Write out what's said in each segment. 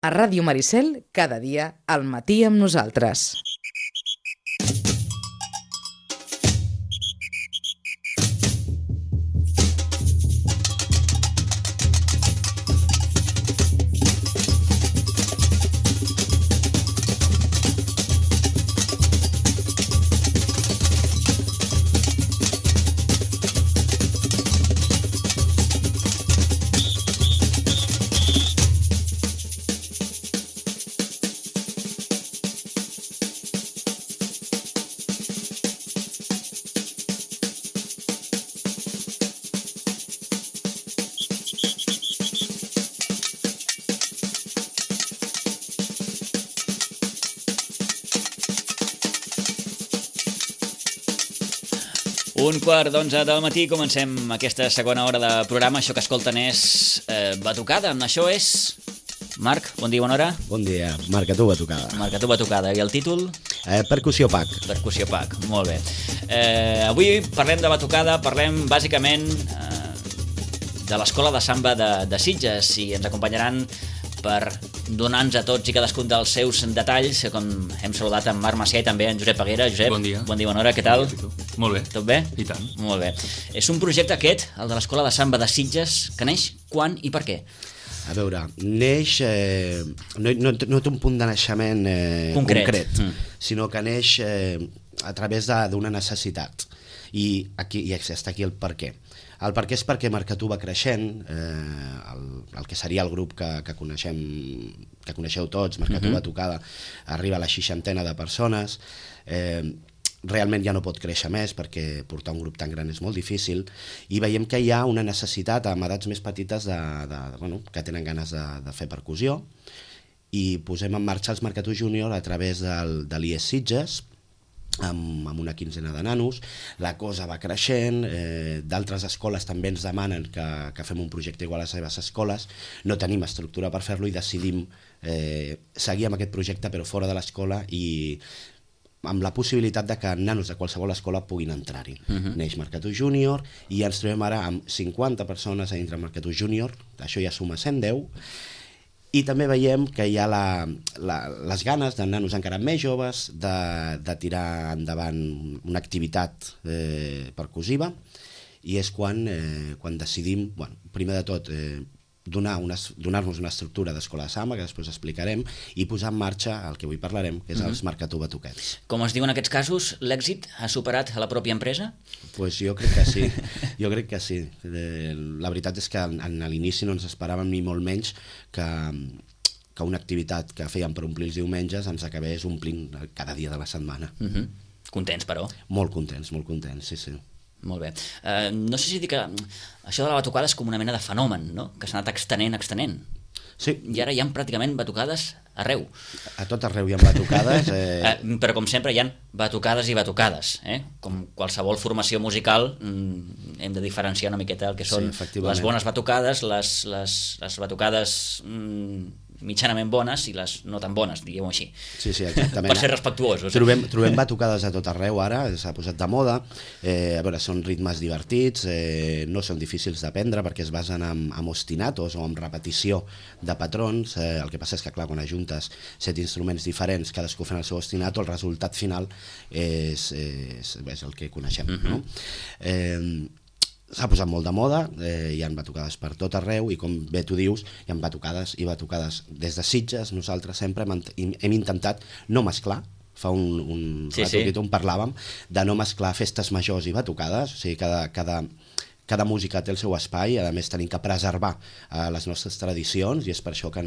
A Ràdio Maricel, cada dia, al matí amb nosaltres. Un quart d'11 del matí, comencem aquesta segona hora de programa. Això que escolten és Batucada. Això és... Marc, bon dia, bona hora. Bon dia, Marc, a tu Batucada. Marc, a tu Batucada. I el títol? Percussió PAC. Percussió PAC, molt bé. Avui parlem de Batucada, parlem bàsicament de l'Escola de Samba de Sitges, i ens acompanyaran per donar-nos a tots i cadascun dels seus detalls, com hem saludat en Marc Macià i també en Josep Peguera. Josep, bon dia, bona hora, què tal? Molt bé. Tot bé? I tant. Molt bé. És un projecte aquest, el de l'Escola de Samba de Sitges, que neix quan i per què? A veure, neix... no té un punt de naixement concret, sinó que neix a través d'una necessitat. I està aquí el per què. El per què és perquè Marcatú va creixent, el que seria el grup que coneixeu tots, Marcatú Batucada, arriba a la 60ena de persones, realment ja no pot créixer més perquè portar un grup tan gran és molt difícil, i veiem que hi ha una necessitat amb edats més petites que tenen ganes de fer percussió, i posem en marxa els Marcatú Júnior a través de l'IES Sitges, amb una quinzena de nanos. La cosa va creixent, d'altres escoles també ens demanen que fem un projecte igual a les seves escoles, no tenim estructura per fer-lo i decidim seguir amb aquest projecte però fora de l'escola i amb la possibilitat de que nanos de qualsevol escola puguin entrar-hi. Neix Marcatú Júnior i ens trobem ara amb 50 persones a dintre Marcatú Júnior, això ja suma 110, i també veiem que hi ha les ganes de nanos encara més joves de tirar endavant una activitat percussiva, i és quan decidim, primer de tot, donar-nos una estructura d'escola de samba, que després explicarem, i posar en marxa el que avui parlarem, que és els Marcatú Batuquets. Com es diu en aquests casos, l'èxit ha superat a la pròpia empresa? Pues jo crec que sí, La veritat és que a l'inici no ens esperàvem ni molt menys que una activitat que fèiem per omplir els diumenges ens acabés omplint cada dia de la setmana. Contents, però? Molt contents, sí. Molt bé. No sé si dir que això de la batucada és com una mena de fenomen, no? Que s'ha anat extenent. Sí. I ara hi ha pràcticament batucades arreu. A tot arreu hi ha batucades. Però com sempre hi ha batucades i batucades. Com qualsevol formació musical hem de diferenciar una miqueta el que són les bones batucades, les batucades mitjanament bones i les no tan bones, diguem-ho així. Sí, exactament. Per ser respectuosos. Trobem batucades a tot arreu ara, s'ha posat de moda. A veure, són ritmes divertits, no són difícils d'aprendre perquè es basen en ostinatos o en repetició de patrons. El que passa és que, clar, quan ajuntes 7 instruments diferents, cadascú fent el seu ostinato, el resultat final és el que coneixem, no? S'ha posat molt de moda, hi ha batucades per tot arreu i, com bé tu dius, hi ha batucades i batucades. Des de Sitges nosaltres sempre hem intentat no mesclar, fa un rato on parlàvem de no mesclar festes majors i batucades, o sigui, cada música té el seu espai, a més tenim que preservar les nostres tradicions, i és per això que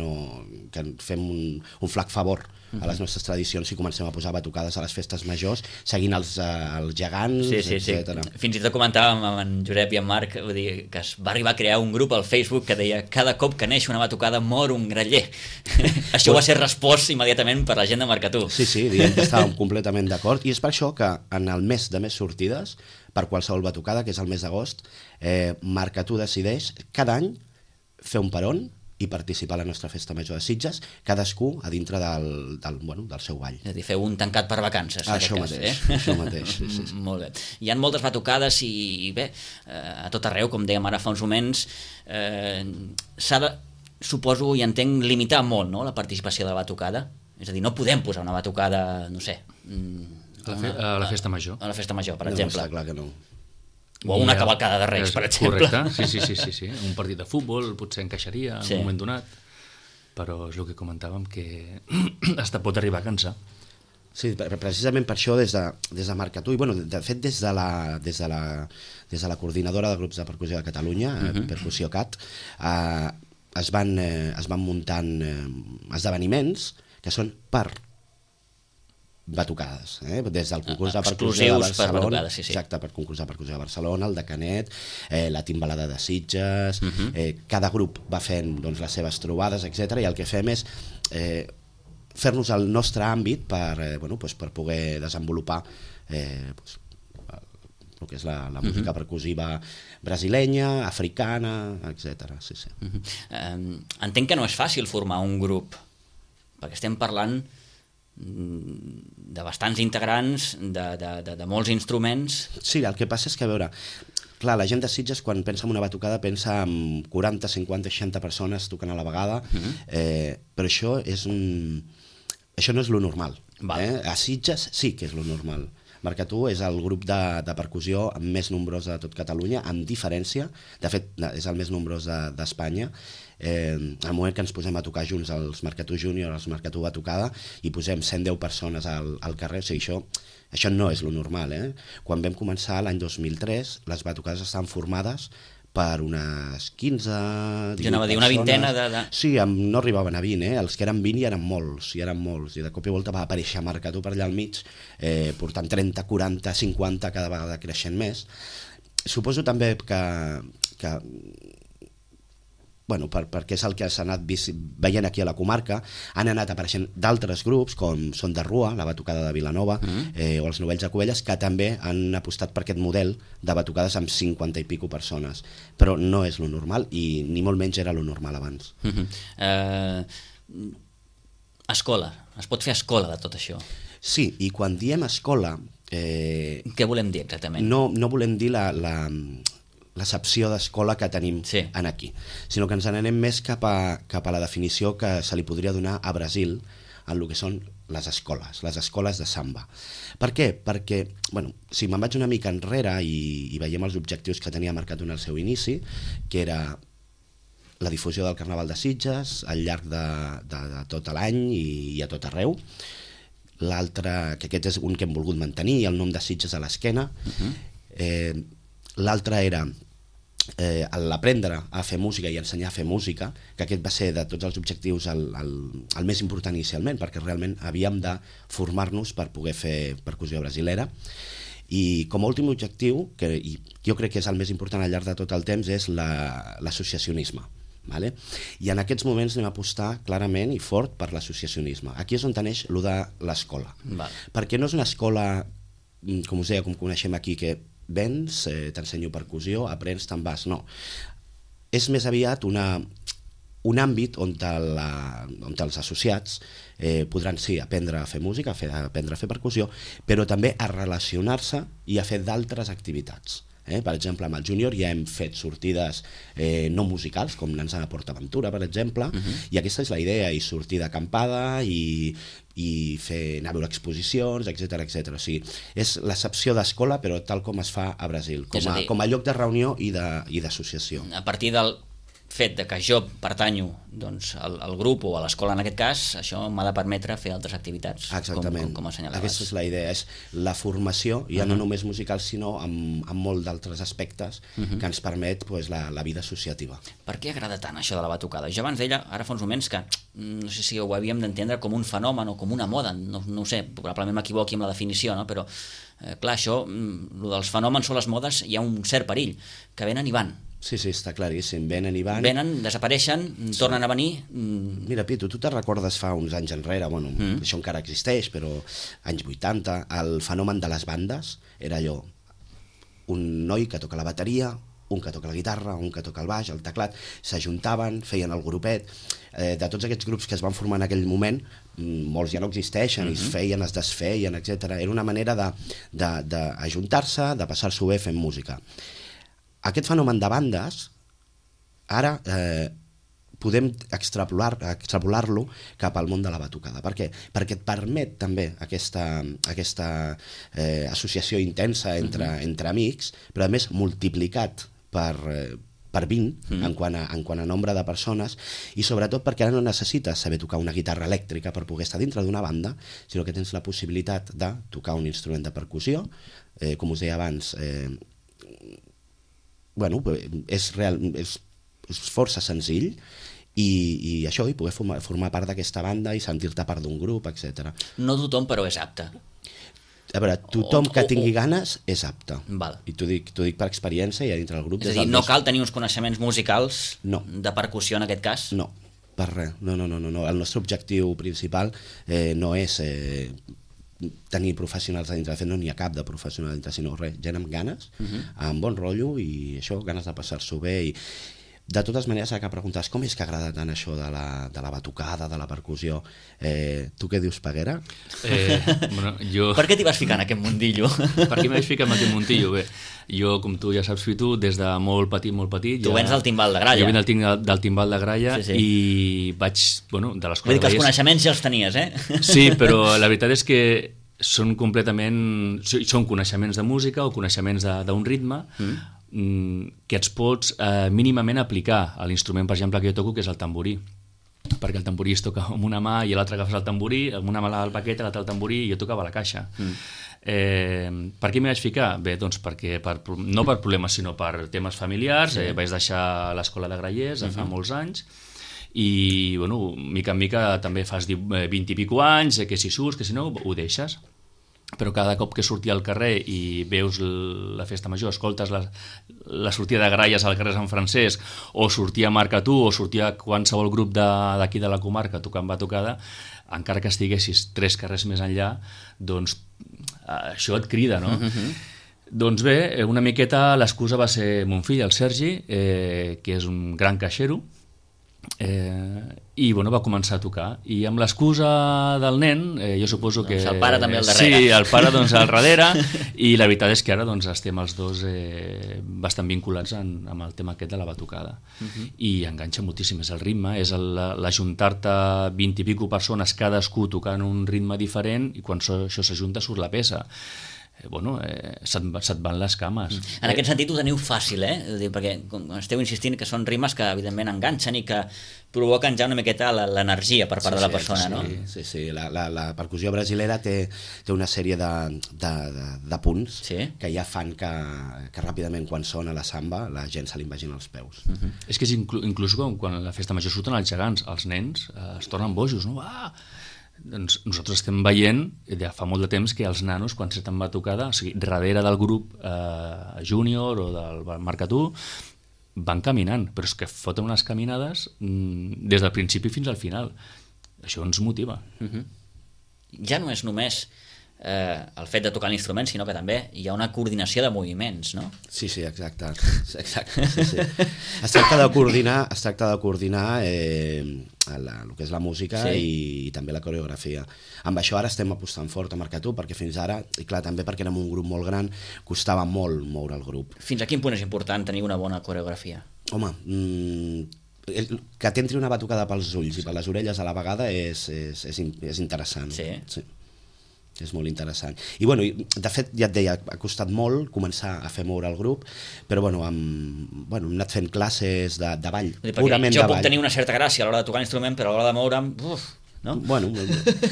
fem un flac favor a les nostres tradicions si comencem a posar batucades a les festes majors, seguint els gegants, etc. Fins i tot comentàvem amb en Josep i en Marc, vull dir, que es va arribar a crear un grup al Facebook que deia: cada cop que neix una batucada mor un graller. Això va ser respost immediatament per la gent de Marcatú. Sí, diem que estàvem completament d'acord, i és per això que en el mes de més sortides, per qualsevol batucada, que és el mes d'agost, Marcatú decideix cada any fer un peron i participar a la nostra festa major de Sitges, cadascú a dintre del seu ball. És a dir, feu un tancat per vacances. Això mateix. Sí. Molt bé. Hi ha moltes batucades i bé, a tot arreu, com dèiem ara fa uns moments, s'ha de suposo i entenc limitar molt, no?, la participació de la batucada. És a dir, no podem posar una batucada, no sé... A la festa major. A la festa major, per exemple. No, està clar que no. O una cavalcada de Reis, per exemple. Correcte, sí. Un partit de futbol potser encaixaria en un moment donat, però és el que comentàvem, que hasta pot arribar a cansar. Sí, precisament per això des de Marcatú, i bueno, de fet des de la coordinadora de grups de percussió de Catalunya, Percussió Cat, es van muntant esdeveniments que són per batucades, des del concurs de percussió de Barcelona, exacte, per concurs de percussió de Barcelona, el de Canet, la Timbalada de Sitges, cada grup va fent les seves trobades, etc. I el que fem és fer-nos el nostre àmbit per poder desenvolupar el que és la música percussiva brasilenya, africana, etc. Sí. Entenc que no és fàcil formar un grup, perquè estem parlant de bastants integrants, de molts instruments. Sí, el que passa és que, a veure, clar, la gent de Sitges quan pensa en una batucada pensa en 40, 50, 60 persones tocant a la vegada, però això no és lo normal. A Sitges sí que és lo normal. Marcatú és el grup de percussió més nombrós de tot Catalunya, amb diferència, de fet és el més nombrós d'Espanya. Al moment que ens posem a tocar junts els Marcatú Júnior, els Marcatú Batucada, i posem 110 persones al carrer, o sigui, això no és lo normal. Quan vam començar l'any 2003, les batucades estaven formades per unes 15, 18 jo anava a dir, una vintena Sí, no arribaven a 20, els que eren 20 eren molts, i de cop i volta va aparèixer Marcatú per allà al mig, portant 30, 40, 50, cada vegada creixent més. Suposo també que perquè és el que s'ha anat veient aquí a la comarca, han anat apareixent d'altres grups, com Son de Rua, la batucada de Vilanova, o els Novells de Cubelles, que també han apostat per aquest model de batucades amb 50 i pico persones. Però no és lo normal, i ni molt menys era lo normal abans. Escola, es pot fer escola de tot això? Sí, i quan diem escola... Què volem dir exactament? No volem dir l'accepció d'escola que tenim aquí, sinó que ens n'anem més cap a la definició que se li podria donar a Brasil en el que són les escoles de samba. Per què? Perquè, si me'n vaig una mica enrere i veiem els objectius que tenia marcat en el seu inici, que era la difusió del Carnaval de Sitges al llarg de tot l'any i a tot arreu. L'altre, que aquest és un que hem volgut mantenir, el nom de Sitges a l'esquena. L'altre era l'aprendre a fer música i ensenyar a fer música, que aquest va ser de tots els objectius el més important inicialment, perquè realment havíem de formar-nos per poder fer percussió brasilera. I com a últim objectiu, que jo crec que és el més important al llarg de tot el temps, és l'associacionisme. I en aquests moments anem a apostar clarament i fort per l'associacionisme. Aquí és on neix allò de l'escola, perquè no és una escola, com us deia, com coneixem aquí, que vens, t'ensenyo percussió, aprens, te'n vas, no. És més aviat un àmbit on els associats podran aprendre a fer música, aprendre a fer percussió, però també a relacionar-se i a fer d'altres activitats. Per exemple, amb el júnior ja hem fet sortides no musicals, com l'Ans a PortAventura, per exemple, i aquesta és la idea, i sortir d'acampada i anar a veure exposicions, etc. O sigui, és l'accepció d'escola, però tal com es fa a Brasil, com a lloc de reunió i d'associació. A partir del fet de que jo pertanyo al grup o a l'escola en aquest cas, això m'ha de permetre fer altres activitats. Exactament, com assenyalaves. Aquesta és la idea, és la formació, ja no només musical, sinó amb molt d'altres aspectes que ens permet la vida associativa. Per què agrada tant això de la batucada? Jo abans deia, ara fa uns moments, que no sé si ho havíem d'entendre com un fenomen o com una moda, no ho sé, probablement m'equivoqui amb la definició, però clar, això, dels fenòmens o les modes, hi ha un cert perill, que venen i van. Sí, està claríssim, venen i van. Venen, desapareixen, tornen a venir... Mira, Pitu, tu te recordes fa uns anys enrere, això encara existeix, però anys 80, el fenomen de les bandes era allò, un noi que toca la bateria, un que toca la guitarra, un que toca el baix, el teclat, s'ajuntaven, feien el grupet. De tots aquests grups que es van formar en aquell moment, molts ja no existeixen, es feien, es desfeien, etc. Era una manera d'ajuntar-se, de passar-s'ho bé fent música. Aquest fenomen de bandes ara podem extrapolar-lo cap al món de la batucada. Per què? Perquè et permet també aquesta associació intensa entre amics, però a més multiplicat per 20 en quant a nombre de persones, i sobretot perquè ara no necessites saber tocar una guitarra elèctrica per poder estar dintre d'una banda, sinó que tens la possibilitat de tocar un instrument de percussió, com us deia abans, és força senzill, i això, i poder formar part d'aquesta banda i sentir-te part d'un grup, etc. No tothom, però és apte. A veure, tothom que tingui ganes és apte. Val. I t'ho dic per experiència, i a dintre del grup... És a dir, no cal tenir uns coneixements musicals de percussió en aquest cas? No, per res. No. El nostre objectiu principal no és tenir professionals a dintre. De fet, no n'hi ha cap de professional a dintre, sinó res, gent amb ganes, amb bon rotllo, i això, ganes de passar-s'ho bé. I de totes maneres, ara que preguntes com és que agrada tant això de la batucada, de la percussió, tu què dius, Peguera? Per què t'hi vas ficar en aquest mundillo? Per què m'hi vaig ficar en aquest mundillo? Bé, jo, com tu ja saps, Fitu, des de molt petit... Tu vens del timbal de gralla. Jo vinc del timbal de gralla, i vaig, de l'escola de gralla... que els coneixements ja els tenies, eh? Sí, però la veritat és que són coneixements de música o coneixements d'un ritme que et pots mínimament aplicar a l'instrument, per exemple, que jo toco, que és el tamborí, perquè el tamborí es toca amb una mà i l'altra agafes el tamborí, amb una mà la baqueta, l'altra el tamborí, i jo tocava la caixa. Per què m'hi vaig ficar? Bé, doncs perquè no per problemes, sinó per temes familiars. Vaig deixar l'escola de grallers fa molts anys, i mica en mica també fas 20 i pico anys, que si surts, que si no, ho deixes. Però cada cop que sortia al carrer i veus la festa major, escoltes la sortida de gralles al carrer Sant Francesc, o sortia Marcatú, o sortia qualsevol grup d'aquí de la comarca tocant batucada, encara que estiguessis 3 carrers més enllà, doncs això et crida, no? Doncs bé, una miqueta l'excusa va ser mon fill, el Sergi, que és un gran caixero, i va començar a tocar, i amb l'excusa del nen, jo suposo que... El pare també al darrere. Sí, el pare al darrere, i la veritat és que ara estem els dos bastant vinculats amb el tema aquest de la batucada, i enganxa moltíssim. És el ritme, és l'ajuntar-te 20 i pico persones, cadascú tocant un ritme diferent, i quan això s'ajunta surt la peça. Se't van les cames. En aquest sentit ho teniu fàcil, perquè esteu insistint que són rimes que evidentment enganxen i que provoquen ja una miqueta l'energia per part de la persona, no? Sí. La percussió brasilera té una sèrie de punts que ja fan que ràpidament, quan sona la samba, la gent se li imagina els peus. És que inclús quan a la festa major surten els gegants, els nens es tornen bojos, no? Doncs nosaltres estem veient ja fa molt de temps que els nanos, quan s'estan batucada, o sigui, darrere del grup júnior o del Marcatú, van caminant, però és que foten unes caminades des del principi fins al final. Això ens motiva. Ja no és només el fet de tocar l'instrument, sinó que també hi ha una coordinació de moviments, no? Sí, exacte. Sí. Es tracta de coordinar el que és la música i també la coreografia. Amb això ara estem apostant fort a Marcatú, perquè fins ara, i clar, també perquè érem un grup molt gran, costava molt moure el grup. Fins a quin punt és important tenir una bona coreografia? Home, que t'entri una batucada pels ulls i per les orelles a la vegada és interessant. Sí. És molt interessant. I de fet, ja et deia, ha costat molt començar a fer moure el grup, però hem anat fent classes de ball, purament de ball. Jo puc tenir una certa gràcia a l'hora de tocar l'instrument, però a l'hora de moure'm, no?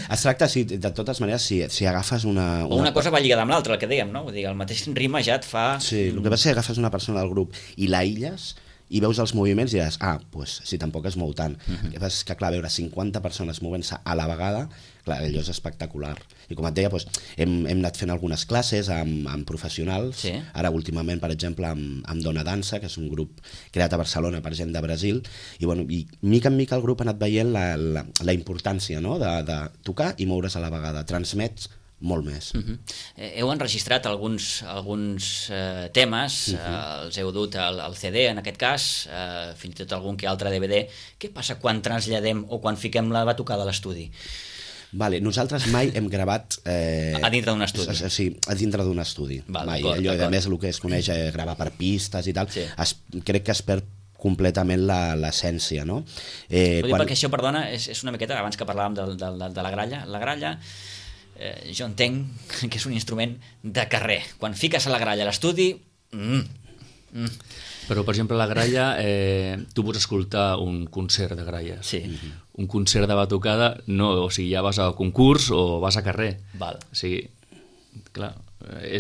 Es tracta, de totes maneres, si agafes una... O una cosa va lligada amb l'altra, el que dèiem, no? Vull dir, el mateix ritme ja et fa... Sí, el que passa és que agafes una persona del grup i l'aïlles, i veus els moviments i diràs, doncs si tampoc es mou tant. El que passa és que, clar, veure 50 persones movent-se a la vegada, clar, allò és espectacular. I com et deia, hem anat fent algunes classes amb professionals, ara últimament, per exemple, amb Dona Dansa, que és un grup creat a Barcelona per gent de Brasil, i mica en mica el grup ha anat veient la importància de tocar i moure's a la vegada. Transmets molt més. Heu enregistrat alguns temes, els heu dut al CD en aquest cas, fins i tot algun que altre DVD. Què passa quan traslladem o quan fiquem la batucada a l'estudi? Nosaltres mai hem gravat... A dintre d'un estudi? Sí, a dintre d'un estudi. Mai. Allò, a més, el que es coneix gravar per pistes i tal, crec que es perd completament l'essència, no? Perquè això, perdona, és una miqueta, abans que parlàvem de la gralla, jo entenc que és un instrument de carrer. Quan fiques a la gralla a l'estudi... Però, per exemple, la gralla, tu pots escoltar un concert de gralles. Sí. Un concert de batucada, no, o sigui, ja vas a concurs o vas a carrer. Val. O sigui, clar,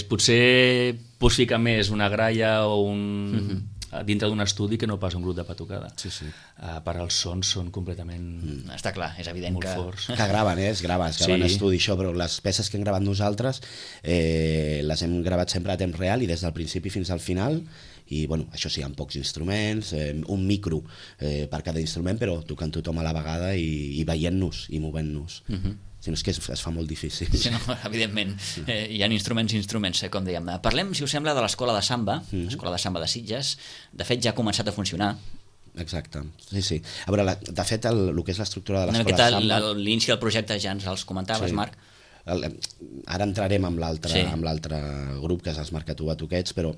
potser pots ficar més una gralla o un... dintre d'un estudi que no pas un grup de batucada. Sí. Per als sons són completament... Està clar, és evident molt que... forts. Que graven, es graven estudi, això, però les peces que hem gravat nosaltres les hem gravat sempre a temps real i des del principi fins al final, i bueno, això sí, amb pocs instruments, un micro per cada instrument, però tocant tothom a la vegada i veient-nos i movent-nos. Si no, és que es fa molt difícil. Sí, no, evidentment, hi ha instruments, com dèiem. Parlem, si us sembla, de l'escola de samba, l'escola de samba de Sitges. De fet, ja ha començat a funcionar. Exacte, sí. A veure, de fet, el que és l'estructura de l'escola de samba... L'inici del projecte ja ens els comentaves, Marc. Ara entrarem amb l'altre grup, que és els Marca tu Batuquets, però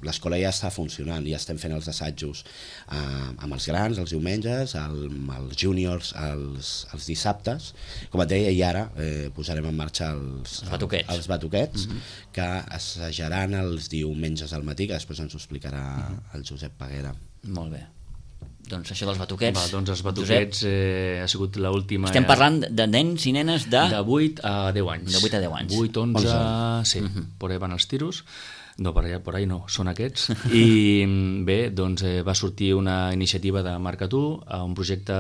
l'escola ja està funcionant, ja estem fent els assajos amb els grans els diumenges, amb els júniors els dissabtes, com et deia, i ara posarem en marxa els batuquets, que assajaran els diumenges al matí, que després ens ho explicarà el Josep Peguera. Molt bé. Doncs això dels batuquets... Doncs els batuquets ha sigut l'última... Estem parlant de nens i nenes de 8 a 10 anys. De 8 a 10 anys. 8, 11... Sí, per ahí van els tiros. No, per ahí no, són aquests. I bé, doncs va sortir una iniciativa de Marca tu, un projecte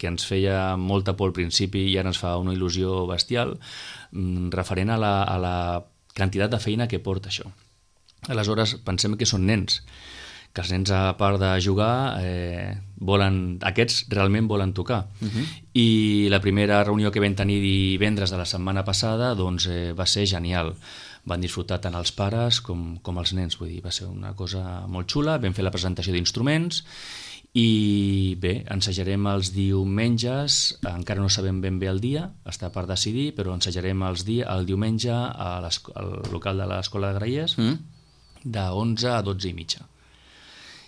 que ens feia molta por al principi i ara ens fa una il·lusió bestial, referent a la quantitat de feina que porta això. Aleshores, pensem que són nens, que els nens, a part de jugar, aquests realment volen tocar. I la primera reunió que vam tenir divendres de la setmana passada doncs, va ser genial. Van disfrutar tant els pares com els nens, vull dir, va ser una cosa molt xula. Vam fer la presentació d'instruments i bé, ensajarem els diumenges, encara no sabem ben bé el dia, està per decidir, però ensajarem el diumenge al local de l'Escola de Grallers de 11 a 12 i mitja.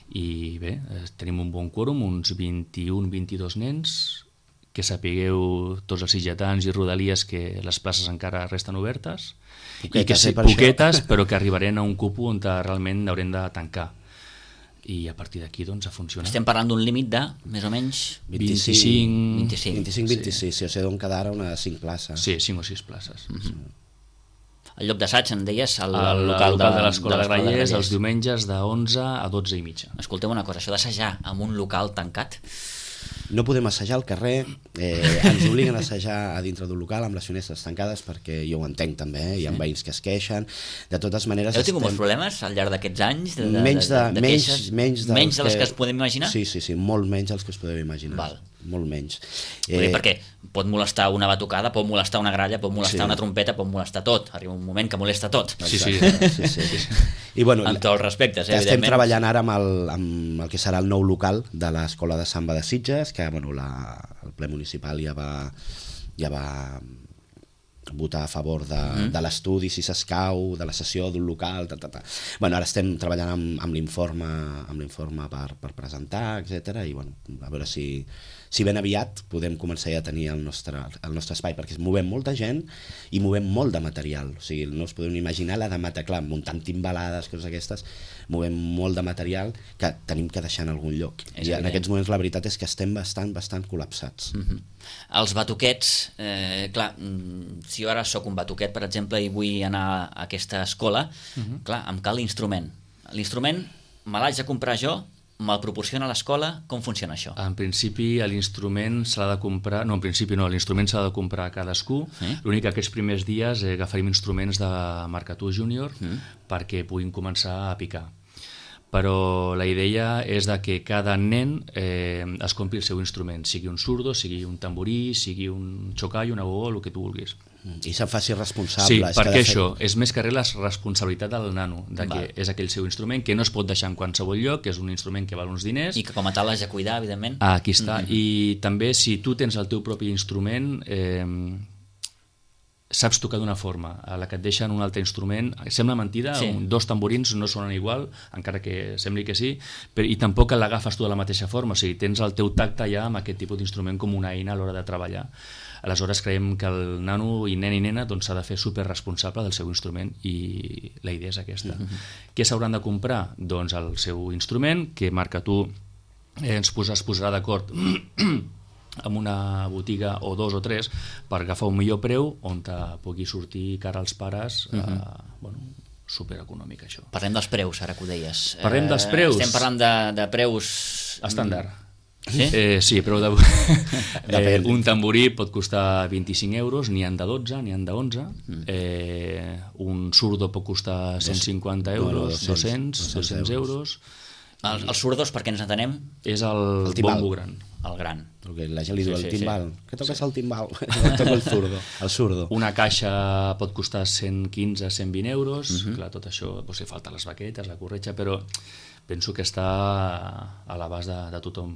I bé, tenim un bon quòrum, uns 21-22 nens, que sapigueu tots els sitgetans i rodalies que les places encara resten obertes, poquetes, però que arribarem a un cupo on realment haurem de tancar. I a partir d'aquí doncs a funcionar. Estem parlant d'un límit de, més o menys... 25-26, sí, o sigui, d'on quedar unes 5 places. Sí, 5 o 6 places. El lloc d'assaig, en deies, el local de l'Escola de Grallers, els diumenges de 11 a 12 i mitja. Escolteu una cosa, això d'assajar en un local tancat... No podem assajar al carrer, ens obliguen a assajar a dintre d'un local amb les finestres tancades, perquè jo ho entenc també, hi ha veïns que es queixen. De totes maneres... Heu tingut molts problemes al llarg d'aquests anys? Menys de les que es podem imaginar? Sí, molt menys dels que es podem imaginar. Val. Molt menys. Perquè pot molestar una batucada, pot molestar una gralla, pot molestar una trompeta, pot molestar tot. Arriba un moment que molesta tot. Sí. I, bueno, amb tots els respectes, evidentment. Estem treballant ara amb el que serà el nou local de l'Escola de Samba de Sitges, que bueno, el ple municipal ja va votar a favor de l'estudi, si s'escau, de la cessió d'un local... Bueno, ara estem treballant amb l'informe per presentar, etc. I bueno, a veure si ben aviat podem començar ja a tenir el nostre espai, perquè movem molta gent i movem molt de material. O sigui, no us podeu imaginar la de material, clar, muntant timbalades, coses aquestes, movem molt de material que tenim que deixar en algun lloc. I en aquests moments la veritat és que estem bastant col·lapsats. Els batuquets, clar, si jo ara sóc un batuquet, per exemple, i vull anar a aquesta escola, clar, em cal l'instrument. L'instrument me l'haig de comprar jo, me'l proporciona l'escola, com funciona això? En principi l'instrument s'ha de comprar, no, en principi no, l'instrument s'ha de comprar a cadascú, l'únic que aquests primers dies agafarem instruments de Marca tu Júnior perquè puguin començar a picar. Però la idea és de que cada nen es compri el seu instrument, sigui un surdo, sigui un tamborí, sigui un xocallo, una gogó, el que tu vulguis. I se'n faci responsable. Sí, perquè això és més que res la responsabilitat del nano, que és aquell seu instrument que no es pot deixar en qualsevol lloc, que és un instrument que val uns diners. I que com a tal l'has de cuidar, evidentment. Aquí està. I també si tu tens el teu propi instrument, saps tocar d'una forma, a la que et deixen un altre instrument, sembla mentida, dos tamborins no sonen igual, encara que sembli que sí, i tampoc l'agafes tu de la mateixa forma, o sigui, tens el teu tacte ja amb aquest tipus d'instrument com una eina a l'hora de treballar. Aleshores creiem que el nano i nen i nena s'ha de fer superresponsable del seu instrument i la idea és aquesta. Què s'hauran de comprar? Doncs el seu instrument, que marca tu, es posarà d'acord amb una botiga o dos o tres per agafar un millor preu on te pugui sortir cara als pares supereconòmic, això. Parlem dels preus, ara que ho deies. Parlem dels preus. Estem parlant de preus... Estàndard. Sí? Sí, preu de... un tamborí pot costar 25 euros, n'hi han de 12, n'hi han de 11. Un surdo pot costar 150 euros, 200 euros. Els surdos, per què ens entenem? És el bombo gran. El gran. La gent li diu el timbal. Què toques el timbal? Toco el surdo. Una caixa pot costar 115, 120 euros. Clar, tot això, si falten les baquetes, la corretja, però penso que està a l'abast de tothom.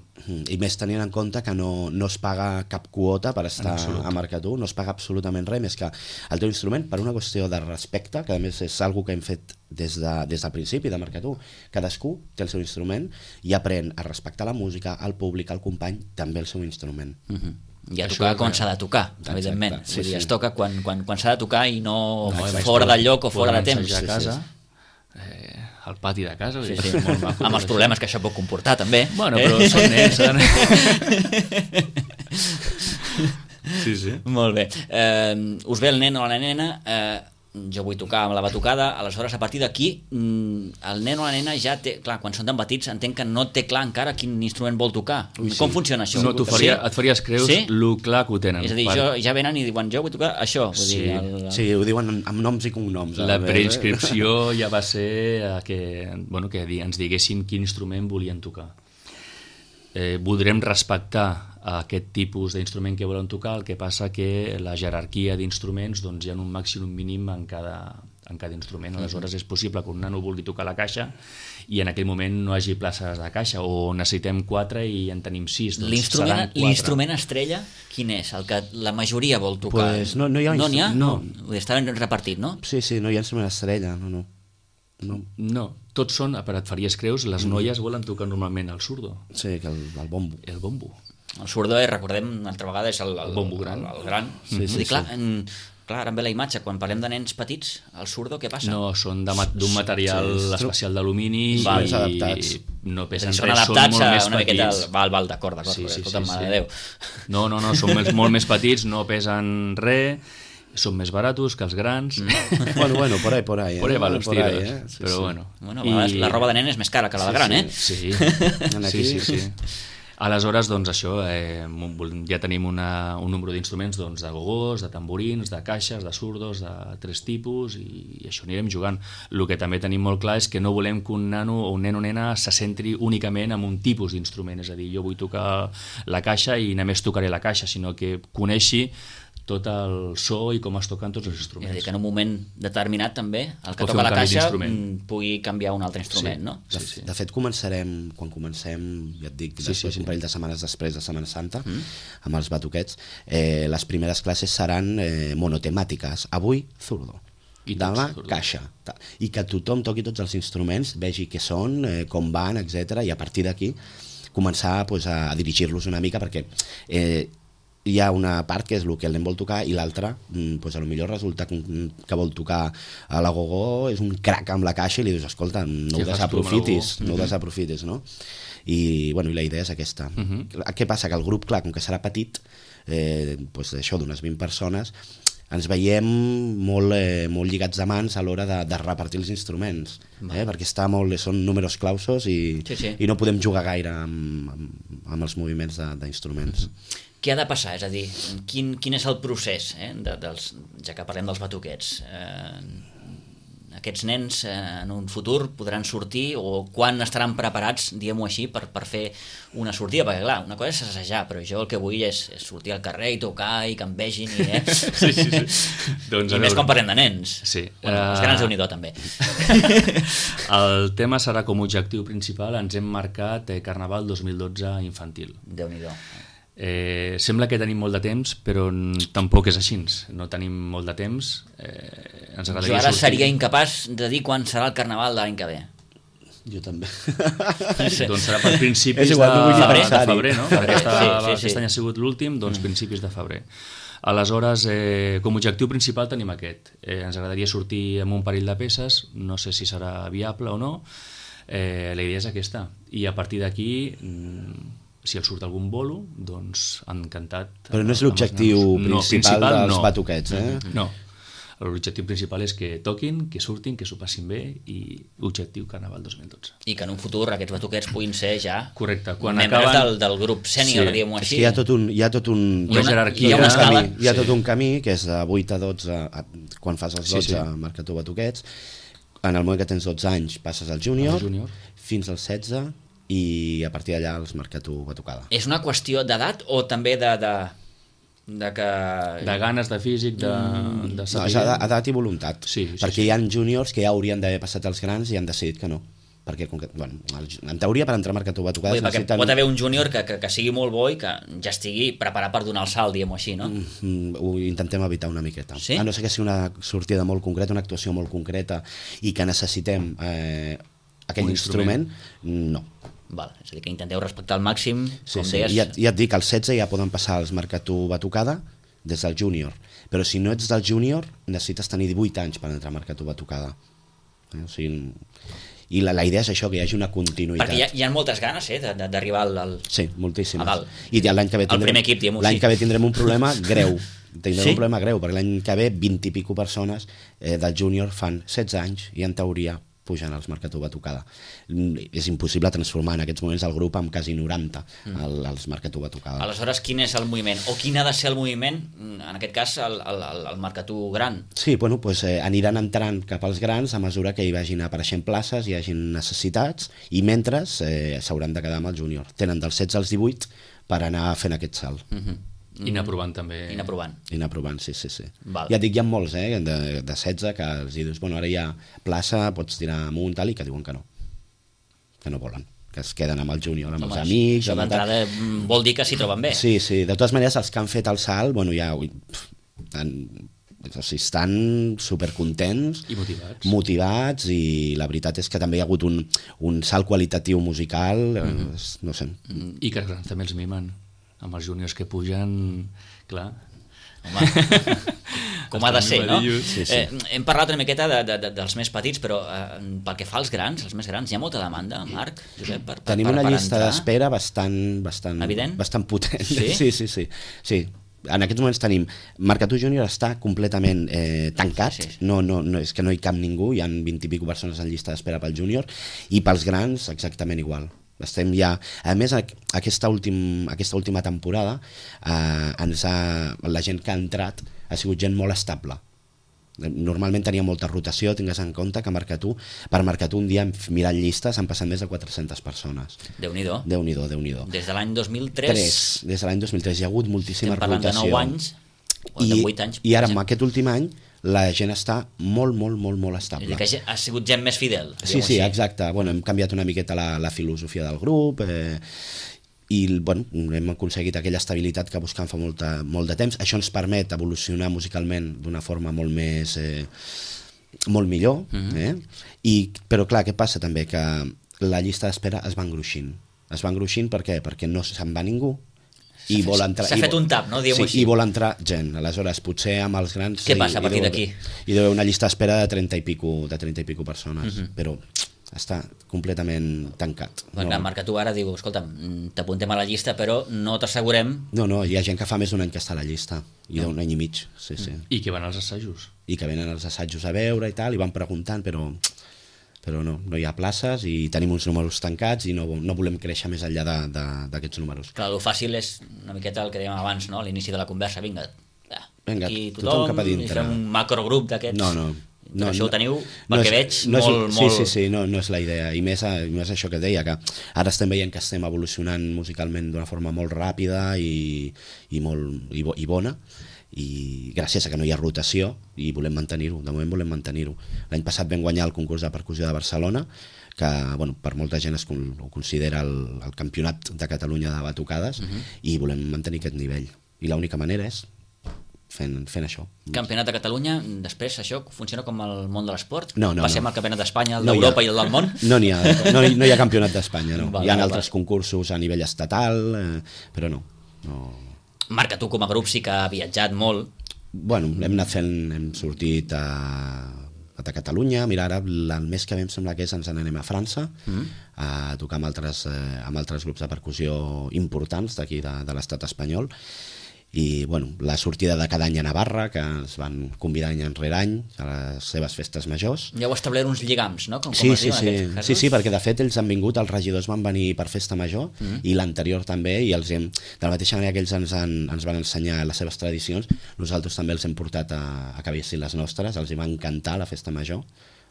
I més tenint en compte que no es paga cap quota per estar a Marcatú, no es paga absolutament res, més que el teu instrument, per una qüestió de respecte, que a més és una que hem fet des del principi de Marcatú. Cadascú té el seu instrument i aprèn a respectar la música, el públic, el company, també el seu instrument. I a tocar quan s'ha de tocar, evidentment. Es toca quan s'ha de tocar i no fora del lloc o fora de temps. A casa, al pati de casa, amb els problemes que això pot comportar també. Bueno, però són nens. Sí. Molt bé. Us ve el nen o la nena, jo vull tocar amb la batucada, aleshores a partir d'aquí el nen o la nena ja té, clar, quan són tan petits entenc que no té clar encara quin instrument vol tocar. Com funciona això? No, et faries creus lo clar que ho tenen. És a dir, ja venen i diuen jo vull tocar això. Sí, ho diuen amb noms i cognoms. La preinscripció ja va ser que ens diguessin quin instrument volien tocar. Voldrem respectar aquest tipus d'instrument que volen tocar, el que passa que la jerarquia d'instruments hi ha un màxim i un mínim en cada instrument. Aleshores és possible que un nano vulgui tocar la caixa i en aquell moment no hi hagi places de caixa, o necessitem 4 i en tenim 6. L'instrument estrella quin és? El que la majoria vol tocar? No hi ha. No. Està ben repartit, no? Sí, no hi ha instrument estrella, No, tots són, per et faries creus, les noies volen tocar normalment el surdo. Sí, que el bombo. El bombo. El surdo, recordem, una altra vegada, és el bombo gran. El gran. Clar, ara em ve la imatge, quan parlem de nens petits, el surdo, què passa? No, són d'un material especial d'alumini i no pesen res, són adaptats a una miqueta... Val, d'acord, escolta'm, mare de Déu. No, són molt més petits, no pesen res, són més baratos que els grans. Bueno, por ahí. Por ahí van los tiros, però bueno. La roba de nen és més cara que la de gran, Sí. Aleshores, doncs això, ja tenim un número d'instruments de gogós, de tamborins, de caixes, de surdos, de 3 tipus, i això anirem jugant. El que també tenim molt clar és que no volem que un nano o un nen o nena se centri únicament en un tipus d'instrument, és a dir, jo vull tocar la caixa i només tocaré la caixa, sinó que coneixi tot el so i com es toquen tots els instruments. És a dir, que en un moment determinat també el que toca la caixa pugui canviar un altre instrument, no? De fet, quan comencem, ja et dic, després un parell de setmanes després de Setmana Santa, amb els batuquets, les primeres classes seran monotemàtiques. Avui, zurdo. Demà, caixa. I que tothom toqui tots els instruments, vegi què són, com van, etc. I a partir d'aquí començar a dirigir-los una mica, perquè hi ha una part que és el que el nen vol tocar i l'altra, potser resulta que vol tocar a la gogó, és un crac amb la caixa i li dius, escolta, no ho desaprofitis, no? I la idea és aquesta. Què passa? Que el grup, clar, com que serà petit, això d'unes 20 persones, ens veiem molt lligats de mans a l'hora de repartir els instruments, perquè són números clausos i no podem jugar gaire amb els moviments d'instruments. Què ha de passar? És a dir, quin és el procés, ja que parlem dels batuquets? Aquests nens en un futur podran sortir, o quan estaran preparats, diguem-ho així, per fer una sortida? Perquè clar, una cosa és assajar, però jo el que vull és sortir al carrer i tocar i que em vegin i més quan parlem de nens. Els grans Déu-n'hi-do també. El tema serà com a objectiu principal, ens hem marcat Carnaval 2012 infantil. Déu-n'hi-do. Sembla que tenim molt de temps, però tampoc és així. No tenim molt de temps. Ens Jo ara seria incapaç de dir quan serà el Carnaval de l'any que ve. Jo també. Sí. Doncs serà per principis És igual, no vull de pensar-hi. febrer, no? Perquè Sí. aquest any ha sigut l'últim, doncs principis de febrer. Aleshores, com a objectiu principal tenim aquest. Ens agradaria sortir amb un parell de peces, no sé si serà viable o no. La idea és aquesta. I a partir d'aquí, si el surt algun bolo, doncs encantat. Però no és l'objectiu principal dels batuquets, eh? No. L'objectiu principal és que toquin, que surtin, que s'ho passin bé i objectiu Carnaval 2012. I que en un futur aquests batuquets puguin ser ja correcte. Quan membres acaben... del grup sènior, Sí. diguem-ho És així. que hi ha tot un Una jerarquia. hi ha una escala. Hi ha tot un camí que és de 8 a 12, quan fas els 12 Sí. marca tu batuquets, en el moment que tens 12 anys passes al júnior, fins als 16 i a partir d'allà els marca tu batucada. És una qüestió d'edat o també de que... De ganes, de físic, de No, saber... és edat i voluntat, Sí, perquè hi ha júniors que ja haurien d'haver passat els grans i han decidit que no. Perquè, bueno, en teoria, per entrar a marcar tu batucades... Vull dir, perquè pot haver un júnior que sigui molt bo i que ja estigui preparat per donar el salt, diguem-ho així, no? Ho intentem evitar una miqueta. Sí? A no ser que sigui una sortida molt concreta, una actuació molt concreta i que necessitem aquell Un instrument, no. Val, és a dir, que intenteu respectar al màxim, Sí, com sí. deies... Ja et dic, als 16 ja poden passar els marcar tu batucada des del júnior, però si no ets del júnior necessites tenir 18 anys per entrar a marcar tu batucada. O sigui, i la idea és això, que hi hagi una continuïtat. Perquè hi ha moltes ganes, d'arribar al... Sí, moltíssimes. A dalt. I l'any que ve El primer equip, diguem-ho l'any així. que ve tindrem un problema greu. Tindrem Sí? un problema greu, perquè l'any que ve 20 i pico persones del júnior fan 16 anys i en teoria pugen als marca tu batucada. És impossible transformar en aquests moments el grup amb quasi 90 als marca tu batucada. Aleshores, quin és el moviment? O quin ha de ser el moviment, en aquest cas, el marcatú gran? Sí, bueno, pues, aniran entrant cap als grans a mesura que hi vagin apareixent places, hi hagin necessitats, i mentre s'hauran de quedar amb el júnior. Tenen dels 16 als 18 per anar fent aquest salt. I anar provant també. I anar provant. I anar provant, sí. Val. Ja et dic, hi ha molts, de 16, que els dius, bueno, ara hi ha plaça, pots tirar amunt, tal, i que diuen que no volen, que es queden amb el júnior, amb els amics... Això d'entrada vol dir que s'hi troben bé. Sí, de totes maneres, els que han fet el salt, bueno, ja estan supercontents I motivats, i la veritat és que també hi ha hagut un salt qualitatiu musical, no sé. I que els grans també els mimen. Amb els júniors que pugen, clar... Home, com ha de ser, no? Sí. Hem parlat una miqueta dels més petits, però pel que fa als grans, els més grans, hi ha molta demanda, Marc, Josep, per Tenim una llista entrar? d'espera bastant Evident? bastant potent. Sí? Sí. En aquests moments tenim... Marcatú Júnior està completament tancat, Sí. no, és que no hi cap ningú, hi ha 20 i pico persones en llista d'espera pel júnior, i pels grans exactament igual. Estem ja... A més, aquesta última temporada la gent que ha entrat ha sigut gent molt estable. Normalment tenia molta rotació, tingues en compte que per Marcatú un dia mirant llistes han passat més de 400 persones. Déu-n'hi-do. Déu-n'hi-do. Des de l'any 2003... Des de l'any 2003 hi ha hagut moltíssima estem parlant rotació. de 9 anys, o de 8 anys. I ara, amb aquest últim any, la gent està molt estable. És a dir, que ha sigut gent més fidel. Sí, exacte. Bueno, hem canviat una miqueta la filosofia del grup i bueno, hem aconseguit aquella estabilitat que buscàvem fa molt de temps. Això ens permet evolucionar musicalment d'una forma molt millor. Però clar, què passa també? Que la llista d'espera es va engruixint. Per què? Perquè no se'n va ningú. S'ha fet un tap, no? Sí, i vol entrar gent. Aleshores, potser amb els grans... Què passa a partir d'aquí? Hi deu haver una llista d'espera de 30 i pico persones, però està completament tancat. Clar, Marc, tu ara diu, escolta'm, t'apuntem a la llista, però no t'assegurem... No, hi ha gent que fa més d'un any que està a la llista, i d'un any i mig, sí. I que van als assajos. I que venen als assajos a veure i tal, i van preguntant, però no hi ha places i tenim uns números tancats i no volem créixer més enllà d'aquests números. Clar, el fàcil és una miqueta el que dèiem abans, no? A l'inici de la conversa, vinga, aquí tothom cap a dintre. I fem un macrogrup d'aquests. No, això ho teniu, perquè veig, molt... Sí, no és la idea, i més això que deia, que ara estem veient que estem evolucionant musicalment d'una forma molt ràpida i bona, i gràcies a que no hi ha rotació i volem mantenir-ho, de moment volem mantenir-ho. L'any passat vam guanyar el concurs de percussió de Barcelona, que bueno, per molta gent ho considera el campionat de Catalunya de batucades, i volem mantenir aquest nivell, i l'única manera és fent això. Campionat de Catalunya, després això funciona com el món de l'esport? No. Passem al campionat d'Espanya, el d'Europa i el del món? No hi ha campionat d'Espanya, no. Hi ha altres concursos a nivell estatal, però no. Marca, tu com a grup sí que ha viatjat molt. Bueno, hem sortit a Catalunya, mira, ara el mes que ve em sembla que ens n'anem a França a tocar amb altres grups de percussió importants d'aquí de l'estat espanyol, i bueno, la sortida de cada any a Navarra, que ens van convidar any rere any a les seves festes majors. Ja heu establert uns lligams, no? Sí, perquè de fet ells han vingut, els regidors van venir per festa major, i l'anterior també, i de la mateixa manera que ells ens van ensenyar les seves tradicions, nosaltres també els hem portat a que veiessin les nostres, els hi va encantar la festa major.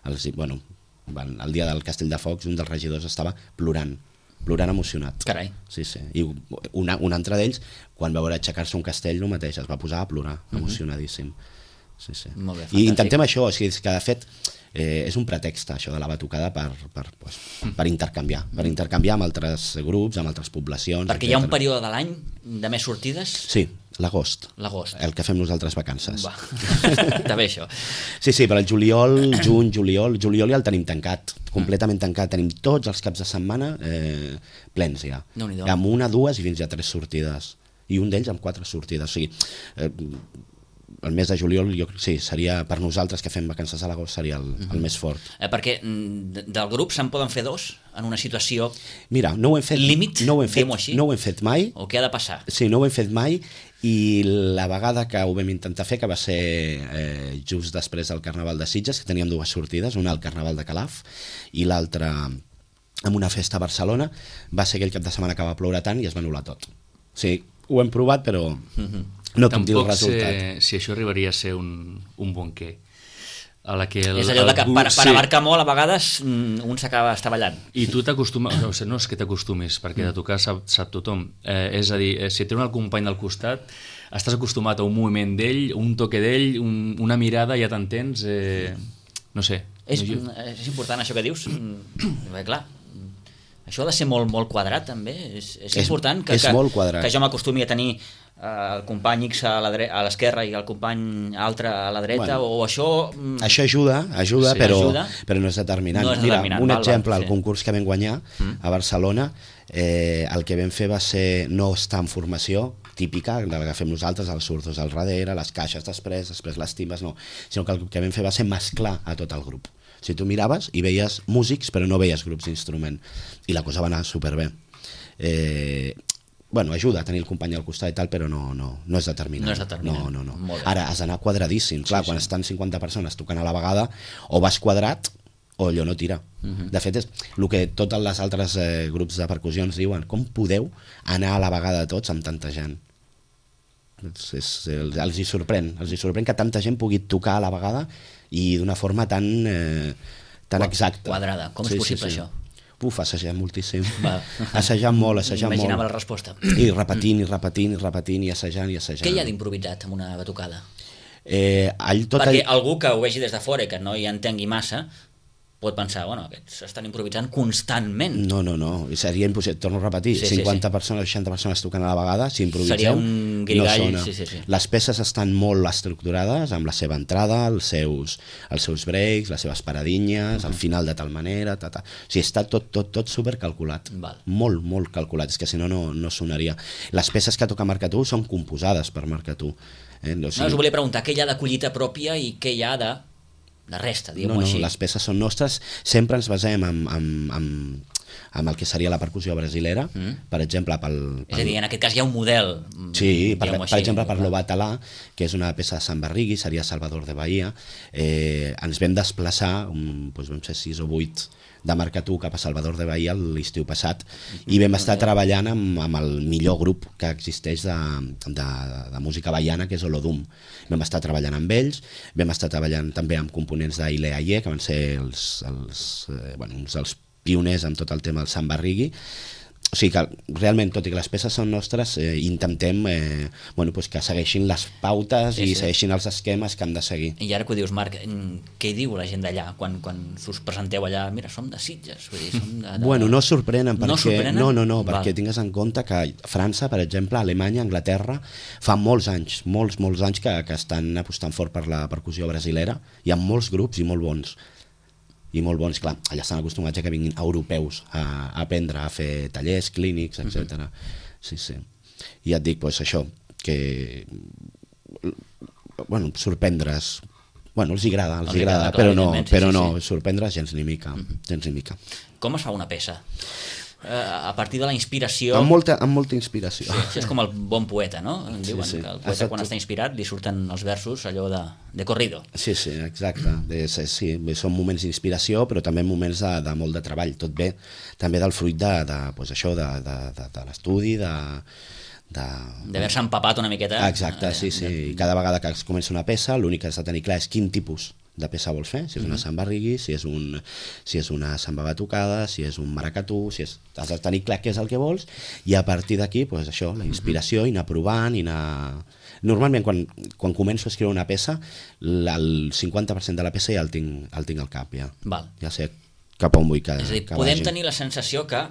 El dia del Castell de Focs un dels regidors estava plorant emocionat. Carai. Sí. I un altre d'ells, quan va veure aixecar-se un castell, el mateix, es va posar a plorar, emocionadíssim. Sí. Molt bé, i intentem això, que de fet és un pretext, això de la batucada, per intercanviar amb altres grups, amb altres poblacions. Perquè hi ha un període de l'any de més sortides? Sí, l'agost. El que fem nosaltres vacances. Està bé això. Sí, però el juliol ja el tenim tancat, completament tancat. Tenim tots els caps de setmana plens ja. Amb 1, 2 i fins a 3 sortides. I un d'ells amb 4 sortides. O sigui, el mes de juliol seria per nosaltres que fem vacances a l'agost seria el més fort. Perquè del grup se'n poden fer 2 en una situació límit, no ho hem fet mai. O què ha de passar? Sí, no ho hem fet mai, i la vegada que ho vam intentar fer, que va ser just després del Carnaval de Sitges, que teníem 2 sortides, una al Carnaval de Calaf i l'altra en una festa a Barcelona, va ser aquell cap de setmana que va ploure tant i es va anul·lar tot. Sí, ho hem provat, però no puc dir el resultat. Tampoc sé si això arribaria a ser un bon què. És allò que per abarcar molt a vegades un s'acaba estavellant. I tu t'acostumes, no és que t'acostumis, perquè de tocar sap tothom, és a dir, si tens el company del costat estàs acostumat a un moviment d'ell, un toque d'ell, una mirada, ja t'entens, no sé. És important això que dius, bé, clar, això ha de ser molt, molt quadrat també, és important que jo m'acostumi a tenir el company X a l'esquerra i el company altre a la dreta, o això... Això ajuda, però no és determinant. Mira, un exemple, el concurs que vam guanyar a Barcelona, el que vam fer va ser no estar en formació típica, de la que fem nosaltres, els surdos al darrere, les caixes després les timbes, no, sinó que el que vam fer va ser mesclar a tot el grup. Si tu miraves i veies músics però no veies grups d'instrument, i la cosa va anar superbé. Ajuda a tenir el company al costat i tal, però no és determinant. No. Ara has d'anar quadradíssim. Clar, quan estan 50 persones tocant a la vegada, o vas quadrat o allò no tira. De fet, és el que tots els altres grups de percussions diuen: com podeu anar a la vegada tots amb tanta gent? Els hi sorprèn que tanta gent pugui tocar a la vegada i d'una forma tan exacta. Quadrada. Com és possible això? Assajant moltíssim. Assajant molt. Imaginava la resposta. I repetint, i assajant. Què hi ha d'improvisat en una batucada? Perquè algú que ho vegi des de fora i que no hi entengui massa pot pensar, aquests estan improvisant constantment. No, seria impossible, torno a repetir, 50 persones, 60 persones tocant a la vegada, si improvisem, seria un grigall, no sona. Les peces estan molt estructurades, amb la seva entrada, els seus breaks, les seves paradinyes, al final de tal manera, O sigui, està tot supercalculat, molt calculat, és que si no sonaria. Les peces que toca Marcatú són composades per Marcatú. Us volia preguntar què hi ha de collita pròpia i què hi ha de resta, diguem-ho així. Les peces són nostres, sempre ens basem amb el que seria la percussió brasilera, per exemple... És a dir, en aquest cas hi ha un model. Sí, per exemple, per l'Obatalà, que és una peça de Sant Barrigui, seria Salvador de Bahia, ens vam desplaçar, vam ser 6 o 8 de Marcatú cap a Salvador de Bahia l'estiu passat, i vam estar treballant amb el millor grup que existeix de música baiana, que és Olodum. Vam estar treballant amb ells, vam estar treballant també amb components d'Aile Aie, que van ser uns dels pioners amb tot el tema del Sant Barrigui, o sigui que realment, tot i que les peces són nostres, intentem que segueixin les pautes i segueixin els esquemes que han de seguir. I ara que ho dius, Marc, què diu la gent d'allà quan us presenteu allà? Mira, som de Sitges. Vull dir, som de... Bueno, no sorprenen, perquè... No sorprenen? No, perquè tingues en compte que França, per exemple, Alemanya, Anglaterra, fa molts anys que estan apostant fort per la percussió brasilera. Hi ha molts grups i molt bons. Clar, allà estan acostumats a que vinguin europeus a aprendre, a fer tallers, clínics, etc. Sí. I ja et dic, doncs això, que sorprendre's, els agrada, però no, sorprendre's gens ni mica. Com es fa una peça? A partir de la inspiració... Amb molta inspiració. Sí, és com el bon poeta, no? Diuen que el poeta quan està inspirat li surten els versos allò de corrido. Sí, exacte. Són moments d'inspiració, però també moments de molt de treball. Tot bé també del fruit de l'estudi, d'haver-se empapat una miqueta. Exacte, sí. Cada vegada que es comença una peça, l'únic que has de tenir clar és quin tipus de peça vols fer, si és una samba reggae, si és una samba batucada, si és un maracatú, has de tenir clar què és el que vols, i a partir d'aquí, això, la inspiració, i anar provant, i anar... Normalment, quan començo a escriure una peça, el 50% de la peça ja el tinc al cap, ja. Ja sé cap on vull que vagi. És a dir, podem tenir la sensació que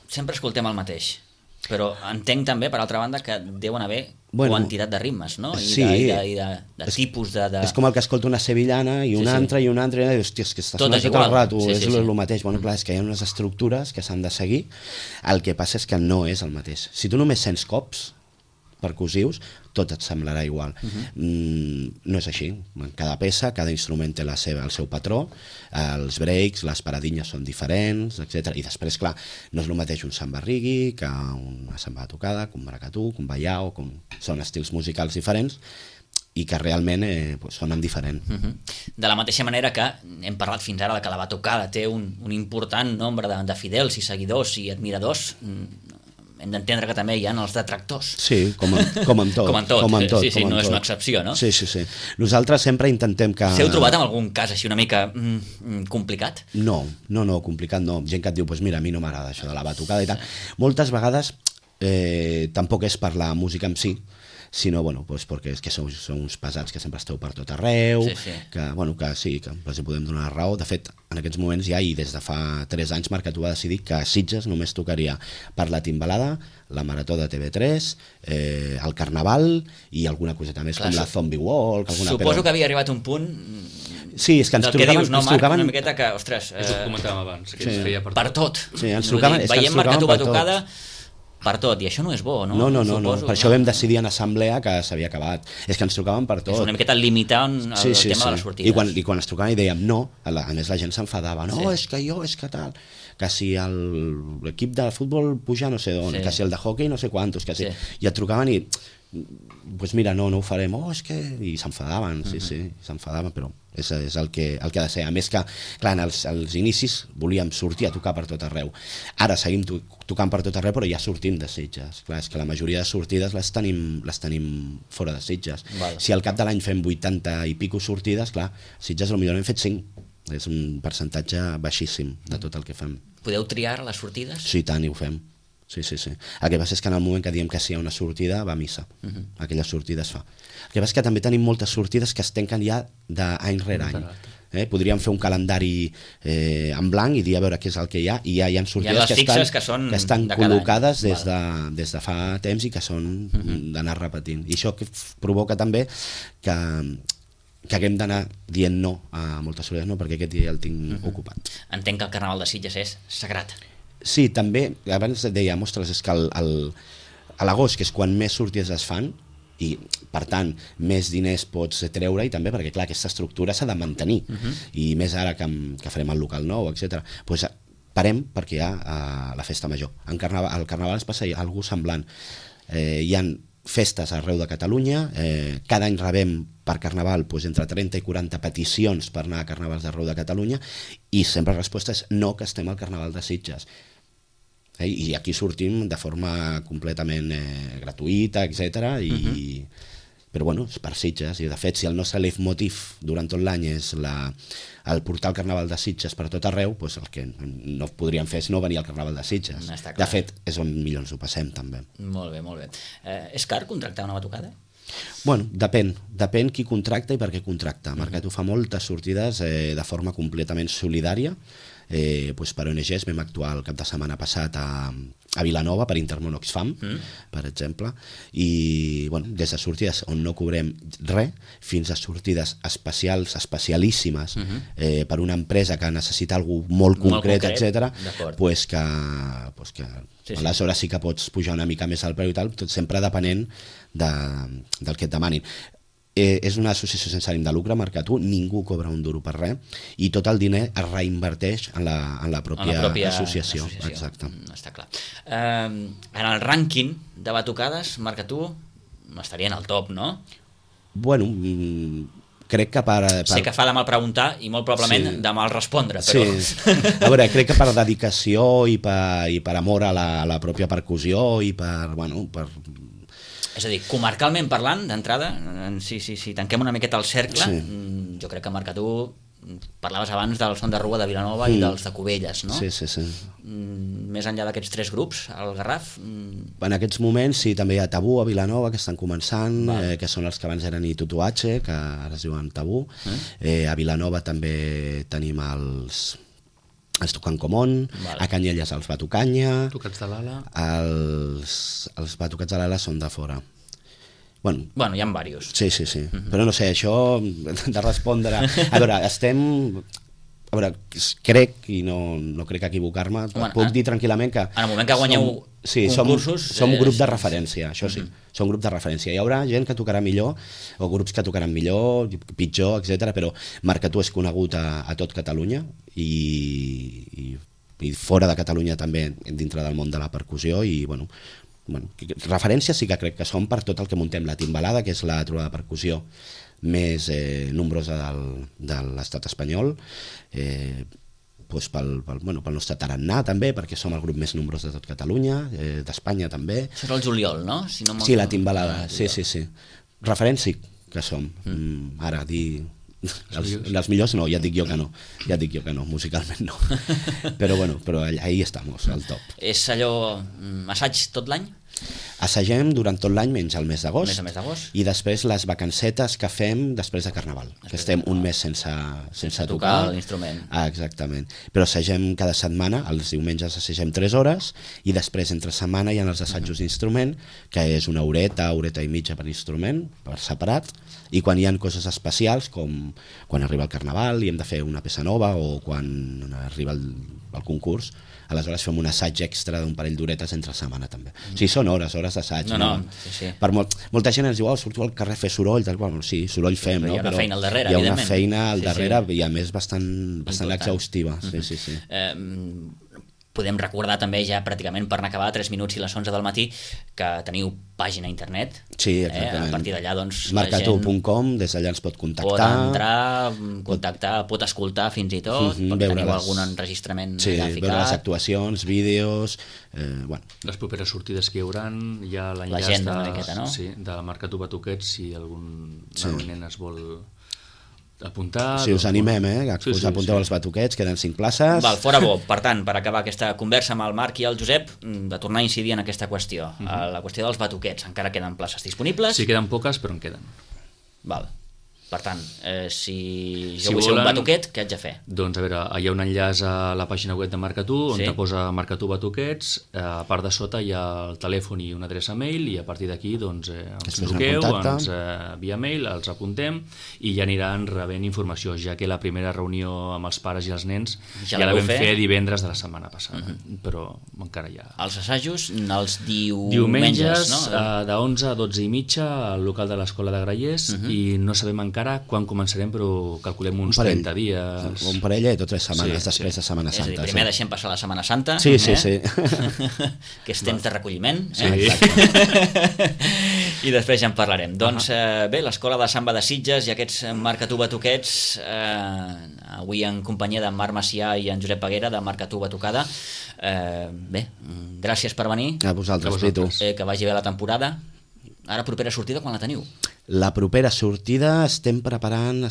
sempre escoltem el mateix, però entenc també, per altra banda, que deuen haver quantitat de ritmes, no? I de tipus de... És com el que escolta una sevillana i una altra, i hòstia, és que està sonant tot el rato, és el mateix. Clar, és que hi ha unes estructures que s'han de seguir, el que passa és que no és el mateix. Si tu només sents cops percussius, tot et semblarà igual. No és així. Cada peça, cada instrument té el seu patró, els breaks, les paradinyes són diferents, etc. I després, clar, no és el mateix un samba reggae que una samba tocada, que un maracatú, que un baiao, són estils musicals diferents i que realment sonen diferent. De la mateixa manera que hem parlat fins ara que la batucada té un important nombre de fidels i seguidors i admiradors, hem d'entendre que també hi ha els detractors. Sí, com en tot. No és una excepció, no? Sí. Nosaltres sempre intentem que... S'heu trobat en algun cas així una mica complicat? No, complicat no. Gent que et diu, mira, a mi no m'agrada això de la batucada i tal. Moltes vegades tampoc és per la música en si, sinó, perquè és que sou uns pesats que sempre esteu per tot arreu, que els podem donar raó. De fet, en aquests moments ja, i des de fa 3 anys, Marc Catú va decidir que a Sitges només tocaria per la timbalada, la Marató de TV3, el Carnaval i alguna coseta més, com la Zombie Walk. Suposo que havia arribat un punt... Sí, és que ens trucaven... Una miqueta que, ostres... És el que comentàvem abans, que es feia per tot. Veiem Marc Catú batucada per tot, i això no és bo, no? No, per això vam decidir en assemblea que s'havia acabat. És que ens trucaven per tot. És una miqueta limitar el tema de les sortides. I quan ens trucaven i dèiem no, a més la gent s'enfadava, és que tal, que si l'equip de futbol puja no sé d'on, que si el de hockey no sé quantos, que si... I et trucaven i, mira, no ho farem, és que... I s'enfadaven, s'enfadaven, però és el que ha de ser. A més que, clar, als inicis volíem sortir a tocar per tot arreu. Ara seguim tocant per tot arreu, però ja sortim de Sitges. Clar, és que la majoria de sortides les tenim fora de Sitges. Si al cap de l'any fem 80 i pico sortides, clar, Sitges potser n'hem fet 5. És un percentatge baixíssim de tot el que fem. Podeu triar les sortides? Sí, tant, i ho fem. Sí. El que passa és que en el moment que diem que sí a una sortida, va a missa. Aquella sortida es fa. El que passa és que també tenim moltes sortides que es tanquen ja d'any rere any. Podríem fer un calendari en blanc i dir a veure què és el que hi ha, i ja hi ha sortides que estan col·locades des de fa temps i que són d'anar repetint. I això provoca també que haguem d'anar dient no a moltes sortides, no, perquè aquest dia ja el tinc ocupat. Entenc que el Carnaval de Sitges és sagrat. Sí, també, abans dèiem, ostres, és que a l'agost, que és quan més sortides es fan, i per tant més diners pots treure, i també perquè clar, aquesta estructura s'ha de mantenir, i més ara que farem el local nou, etc. Doncs parem perquè hi ha la festa major. Al Carnaval es passa alguna cosa semblant. Hi ha festes arreu de Catalunya, cada any rebem per Carnaval entre 30 i 40 peticions per anar a Carnavals d'arreu de Catalunya, i sempre la resposta és no, que estem al Carnaval de Sitges. I aquí sortim de forma completament gratuïta, etc. però bueno, és per Sitges, i de fet si el nostre leitmotiv durant tot l'any és el portar el Carnaval de Sitges per tot arreu, doncs el que no podríem fer és no venir al Carnaval de Sitges. De fet, és on millor ens ho passem també. Molt bé, molt bé. És car contractar una batucada? Bueno, depèn qui contracta i per què contracta. Mercat ho fa moltes sortides de forma completament solidària. Per ONGs vam actuar el cap de setmana passat a Vilanova per Intermón Oxfam, per exemple, i des de sortides on no cobrem res fins a sortides especialíssimes per una empresa que necessita alguna cosa molt concret, etc. Que aleshores sí que pots pujar una mica més al preu i tal, tot sempre depenent del que et demanin. És una associació sense ànim de lucre, Mercat1, ningú cobra un duro per res i tot el diner es reinverteix en la pròpia associació. Exacte. Està clar. En el rànquing de batucades, Mercat1 estaria en el top, no? Bueno, crec que sé que fa de mal preguntar i molt probablement de mal respondre, però... Sí. A veure, crec que per dedicació i per amor a la pròpia percussió i per... És a dir, comarcalment parlant, d'entrada, si tanquem una miqueta el cercle, jo crec que Mercat1, parlaves abans del Son de Rua de Vilanova i dels de Cubelles, no? Sí. Més enllà d'aquests 3 grups, el Garraf... En aquests moments sí, també hi ha Tabú a Vilanova, que estan començant, que són els que abans eren Itutuache, que ara es diuen Tabú. A Vilanova també tenim els Tocant Comón, a Canyelles els Batucanya, Tocats de l'Ala. Els Batucats de l'Ala són de fora. Bueno, hi ha diversos. Sí. Però no sé, això de respondre... A veure, crec, i no crec equivocar-me, puc dir tranquil·lament que... En el moment que guanyeu concursos... Som grup de referència, això sí. Som grup de referència. Hi haurà gent que tocarà millor, o grups que tocaran millor, pitjor, etc. però Mercat1 és conegut a tot Catalunya i fora de Catalunya també, dintre del món de la percussió, i referència sí que crec que som per tot el que muntem la Timbalada, que és la trobada de percussió més nombrosa de l'estat espanyol, pel nostre tarannà també, perquè som el grup més nombrós de tot Catalunya, d'Espanya també. Això és el juliol, no? Sí, la Timbalada, sí. Referència que som. Ara, dir... Els millors no, ja et dic jo que no, musicalment no. Però ahí estamos, al top. És allò, assaig tot l'any? Assagem durant tot l'any menys el mes d'agost, i després les vacancetes que fem després de Carnaval, que estem un mes sense tocar l'instrument. Exactament, però assagem cada setmana, els diumenges assagem 3 hores i després entre setmana hi ha els assajos d'instrument, que és una horeta i mitja per instrument, per separat, i quan hi ha coses especials com quan arriba el Carnaval i hem de fer una peça nova o quan arriba el concurs, aleshores fem un assaig extra d'un parell d'horetes entre setmana també. Sí, són hores d'assaig. Sí. Per molta gent ens diu, surto al carrer a fer soroll, sí, soroll fem, però hi ha una feina al darrere, hi ha una feina al darrere i a més bastant exhaustiva. Sí. Podem recordar també ja pràcticament per anar a acabar 3 minuts i les 11 del matí que teniu pàgina a internet. Sí, exactament. A partir d'allà Mercat1.com, des d'allà ens pot contactar. Pot entrar, contactar, pot escoltar fins i tot, perquè teniu algun enregistrament allà ficat. Veure les actuacions, vídeos... Les properes sortides que hi haurà, hi ha l'enllaç de Mercat1 Batuquets, si algun nen es vol apuntar... Sí, us animem, que us apunteu als batuquets, queden 5 places. Fora bo. Per tant, per acabar aquesta conversa amb el Marc i el Josep, de tornar a incidir en aquesta qüestió, la qüestió dels batuquets. Encara queden places disponibles? Sí, queden poques, però en queden. Val. Per tant, si jo vull ser un batuquet, què haig de fer? Doncs a veure, hi ha un enllaç a la pàgina web de Mercat1 on te posa Mercat1 Batuquets, a part de sota hi ha el telèfon i una adreça mail i a partir d'aquí ens truqueu, via mail, els apuntem i ja aniran rebent informació, ja que la primera reunió amb els pares i els nens ja la vam fer divendres de la setmana passada, però encara hi ha... Els assajos els diumenges de 11 a 12 i mitja al local de l'Escola de Grallers i no sabem encara quan començarem, però calculem uns 30 dies. Un parell o 3 setmanes després de Setmana Santa. És a dir, primer deixem passar la Setmana Santa, sí. que és temps de recolliment, i després ja en parlarem. Doncs bé, l'Escola de Samba de Sitges i aquests Mercat1 Batuquets, avui en companyia de Marc Macià i en Josep Peguera de Mercat1 Batucada. Bé, gràcies per venir. A vosaltres, Pitu. Que vagi bé la temporada. Ara, propera sortida, quan la teniu? La propera sortida estem preparant,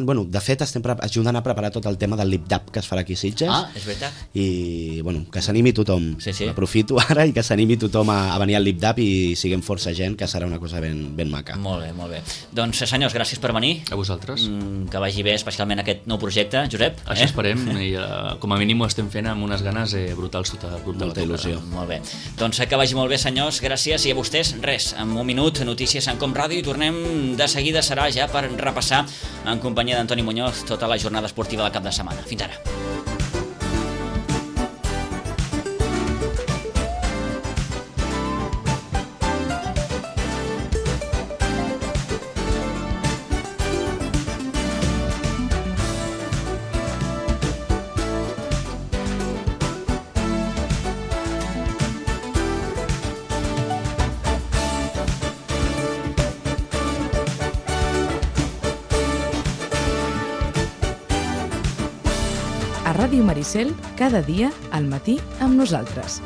bueno, de fet estem ajudant a preparar tot el tema del lip-dap que es farà aquí a Sitges. És veritat. I bueno, que s'animi tothom. Sí. Aprofito ara i que s'animi tothom a venir al lip-dap i siguem força gent, que serà una cosa ben maca. Molt bé. Doncs senyors, gràcies per venir. A vosaltres. Que vagi bé especialment aquest nou projecte. Josep? Això esperem, i com a mínim ho estem fent amb unes ganes brutals tot el grup de Molta il·lusió. Molt bé. Doncs que vagi molt bé, senyors, gràcies, i a vostès, res, en un minut, notícies en Com Ràdio, i tornem de seguida, serà ja per repassar en companyia d'Antoni Muñoz tota la jornada esportiva del cap de setmana. Fins ara. A Ràdio Maricel, cada dia al matí amb nosaltres.